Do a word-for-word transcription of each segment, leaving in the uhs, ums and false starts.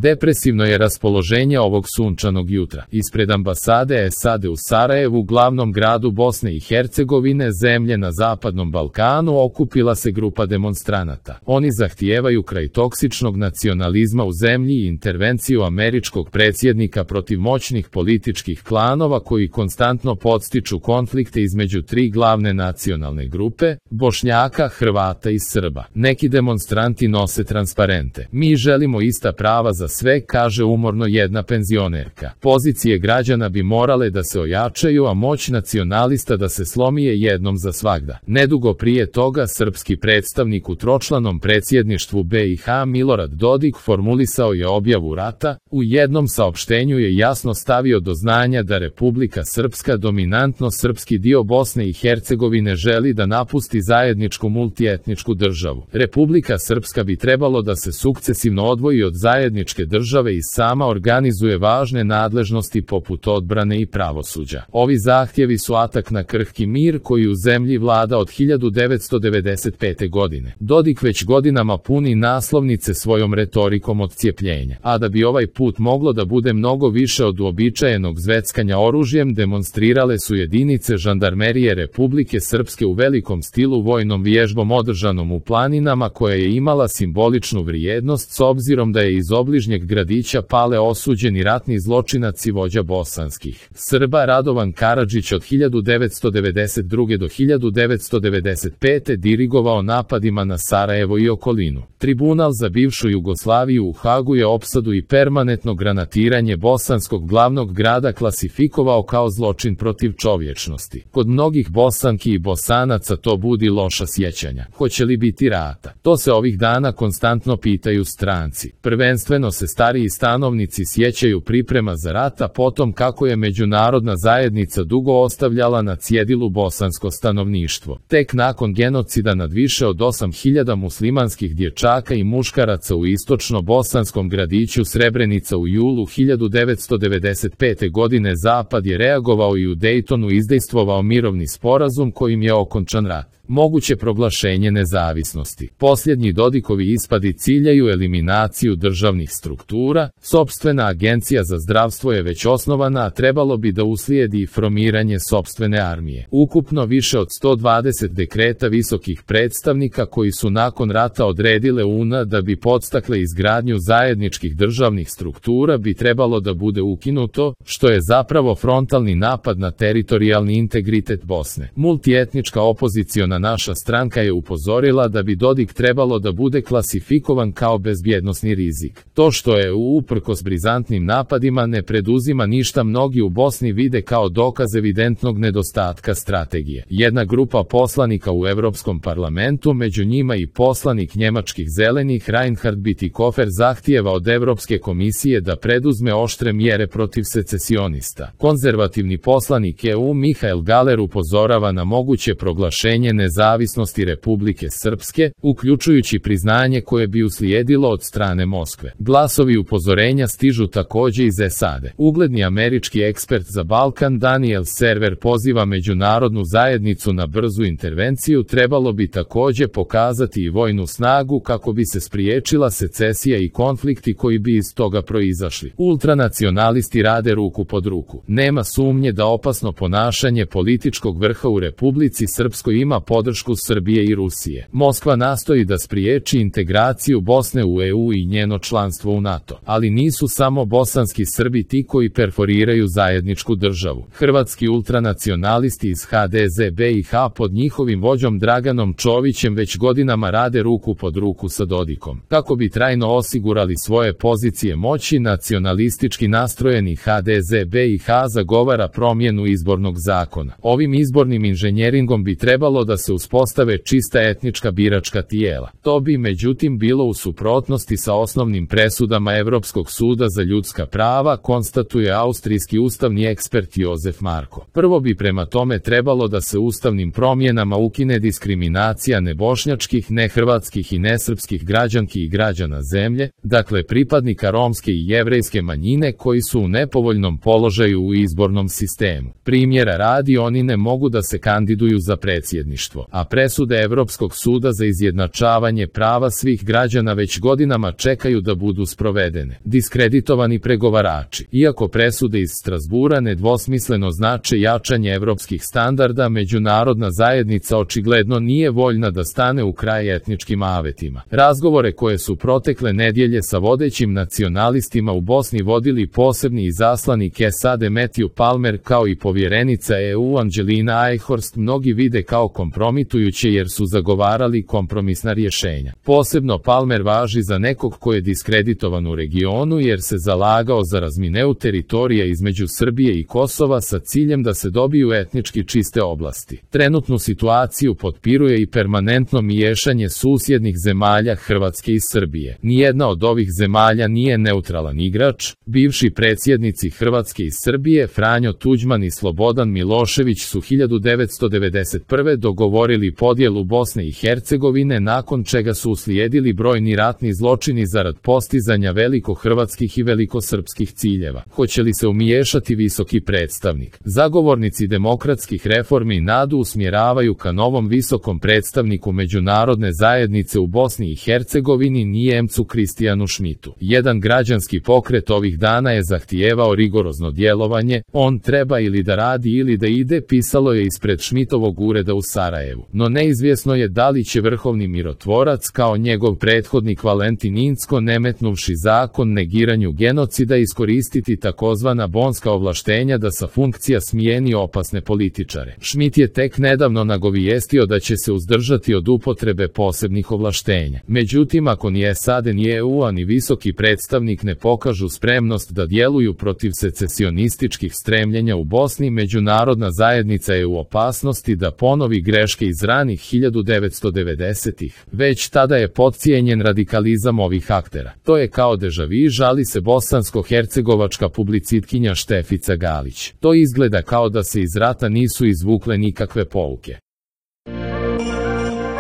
Depresivno je raspoloženje ovog sunčanog jutra. Ispred ambasade S A D u Sarajevu, glavnom gradu Bosne i Hercegovine, zemlje na zapadnom Balkanu, okupila se grupa demonstranata. Oni zahtijevaju kraj toksičnog nacionalizma u zemlji i intervenciju američkog predsjednika protiv moćnih političkih klanova koji konstantno podstiču konflikte između tri glavne nacionalne grupe, Bošnjaka, Hrvata i Srba. Neki demonstranti nose transparente. Mi želimo ista prava za sve, kaže umorno jedna penzionerka. Pozicije građana bi morale da se ojačaju, a moć nacionalista da se slomije jednom za svagda. Nedugo prije toga srpski predstavnik u tročlanom predsjedništvu B i H Milorad Dodik formulisao je objavu rata. U jednom saopštenju je jasno stavio do znanja da Republika Srpska, dominantno srpski dio Bosne i Hercegovine, želi da napusti zajedničku multietničku državu. Republika Srpska bi trebalo da se sukcesivno odvoji od zajedničke države i sama organizuje važne nadležnosti poput odbrane i pravosuđa. Ovi zahtjevi su atak na krhki mir koji u zemlji vlada od hiljadu devetsto devedeset pete. godine. Dodik već godinama puni naslovnice svojom retorikom odcijepljenja. A da bi ovaj put moglo da bude mnogo više od uobičajenog zveckanja oružjem, demonstrirale su jedinice žandarmerije Republike Srpske u velikom stilu vojnom vježbom održanom u planinama, koja je imala simboličnu vrijednost s obzirom da je iz obližnjeg gradića Pale osuđeni ratni zločinac i vođa bosanskih Srba Radovan Karadžić od hiljadu devetsto devedeset druge. do hiljadu devetsto devedeset pete. dirigovao napadima na Sarajevo i okolinu. Tribunal za bivšu Jugoslaviju u Hagu je opsadu i permanentno granatiranje bosanskog glavnog grada klasifikovao kao zločin protiv čovječnosti. Kod mnogih Bosanki i Bosanaca to budi loša sjećanja. Hoće li biti rata? To se ovih dana konstantno pitaju stranci. Prvenstveno se stariji stanovnici sjećaju priprema za rata, potom kako je međunarodna zajednica dugo ostavljala na cjedilu bosansko stanovništvo. Tek nakon genocida nad više od osam hiljada muslimanskih dječaka i muškaraca u istočno-bosanskom gradiću Srebrenica u julu hiljadu devetsto devedeset pete. godine Zapad je reagovao i u Dejtonu izdejstvovao mirovni sporazum kojim je okončan rat. Moguće proglašenje nezavisnosti. Posljednji Dodikovi ispadi ciljaju eliminaciju državnih struktura. Sopstvena agencija za zdravstvo je već osnovana, a trebalo bi da uslijedi formiranje sopstvene armije. Ukupno više od sto dvadeset dekreta visokih predstavnika koji su nakon rata odredile U N A da bi podstakle izgradnju zajedničkih državnih struktura bi trebalo da bude ukinuto, što je zapravo frontalni napad na teritorijalni integritet Bosne. Multietnička opoziciona naša stranka je upozorila da bi Dodik trebalo da bude klasifikovan kao bezbjednosni rizik. To što je uprkos brizantnim napadima ne preduzima ništa, mnogi u Bosni vide kao dokaz evidentnog nedostatka strategije. Jedna grupa poslanika u Europskom parlamentu, među njima i poslanik njemačkih zelenih Reinhard Bütikofer, zahtijeva od Europske komisije da preduzme oštre mjere protiv secesionista. Konzervativni poslanik E U Mihael Galer upozorava na moguće proglašenje nezavisnosti Republike Srpske, uključujući priznanje koje bi uslijedilo od strane Moskve. Glasovi upozorenja stižu također iz S A D. Ugledni američki ekspert za Balkan Daniel Server poziva međunarodnu zajednicu na brzu intervenciju. Trebalo bi također pokazati i vojnu snagu kako bi se spriječila secesija i konflikti koji bi iz toga proizašli. Ultranacionalisti rade ruku pod ruku. Nema sumnje da opasno ponašanje političkog vrha u Republici Srpskoj ima podršku Srbije i Rusije. Moskva nastoji da spriječi integraciju Bosne u E U i njeno članstvo u NATO. Ali nisu samo bosanski Srbi ti koji perforiraju zajedničku državu. Hrvatski ultranacionalisti iz H D Z B i H pod njihovim vođom Draganom Čovićem već godinama rade ruku pod ruku sa Dodikom. Kako bi trajno osigurali svoje pozicije moći, nacionalistički nastrojeni H D Z B i H zagovara promjenu izbornog zakona. Ovim izbornim inženjeringom bi trebalo da se uspostave čista etnička biračka tijela. To bi međutim bilo u suprotnosti sa osnovnim presudama Europskog suda za ljudska prava, konstatuje austrijski ustavni ekspert Jozef Marko. Prvo bi prema tome trebalo da se ustavnim promjenama ukine diskriminacija nebošnjačkih, nehrvatskih i nesrpskih građanki i građana zemlje, dakle pripadnika romske i jevrejske manjine koji su u nepovoljnom položaju u izbornom sistemu. Primjera radi, oni ne mogu da se kandiduju za predsjedništvo. stanovništvo, a presude Evropskog suda za izjednačavanje prava svih građana već godinama čekaju da budu sprovedene. Diskreditovani pregovarači. Iako presude iz Strazbura nedvosmisleno znače jačanje evropskih standarda, međunarodna zajednica očigledno nije voljna da stane u kraj etničkim avetima. Razgovore koje su protekle nedjelje sa vodećim nacionalistima u Bosni vodili posebni izaslanik S A D Matthew Palmer kao i povjerenica E U Angelina Eichhorst mnogi vide kao kompromitujuće jer su zagovarali kompromisna rješenja. Posebno Palmer važi za nekog ko je diskreditovan u regionu jer se zalagao za razmineu teritorija između Srbije i Kosova sa ciljem da se dobiju etnički čiste oblasti. Trenutnu situaciju potpiruje i permanentno miješanje susjednih zemalja Hrvatske i Srbije. Nijedna od ovih zemalja nije neutralan igrač. Bivši predsjednici Hrvatske i Srbije Franjo Tuđman i Slobodan Milošević su hiljadu devetsto devedeset prve dogovorili podjelu Bosne i Hercegovine, nakon čega su uslijedili brojni ratni zločini zarad postizanja velikohrvatskih i velikosrpskih ciljeva. Hoće li se umiješati visoki predstavnik? Zagovornici demokratskih reformi nadu usmjeravaju ka novom visokom predstavniku međunarodne zajednice u Bosni i Hercegovini, Nijemcu Kristijanu Schmidtu. Jedan građanski pokret ovih dana je zahtijevao rigorozno djelovanje, on treba ili da radi ili da ide, pisalo je ispred Schmidtovog ureda u Sarajevu. No neizvjesno je da li će vrhovni mirotvorac kao njegov prethodnik Valentin Inzko, nemetnuvši zakon negiranju genocida, iskoristiti takozvana bonska ovlaštenja da sa funkcija smijeni opasne političare. Schmidt je tek nedavno nagovijestio da će se uzdržati od upotrebe posebnih ovlaštenja. Međutim, ako ni S A D ni E U a ni visoki predstavnik ne pokažu spremnost da djeluju protiv secesionističkih stremljenja u Bosni, međunarodna zajednica je u opasnosti da ponovi greške iz ranih hiljadu devetsto devedesetih. Već tada je podcijenjen radikalizam ovih aktera. To je kao deja vu, žali se bosansko-hercegovačka publicitkinja Štefica Galić. To izgleda kao da se iz rata nisu izvukle nikakve pouke.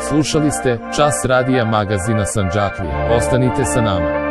Slušali ste Čas radija magazina Sandžaklija. Ostanite sa nama.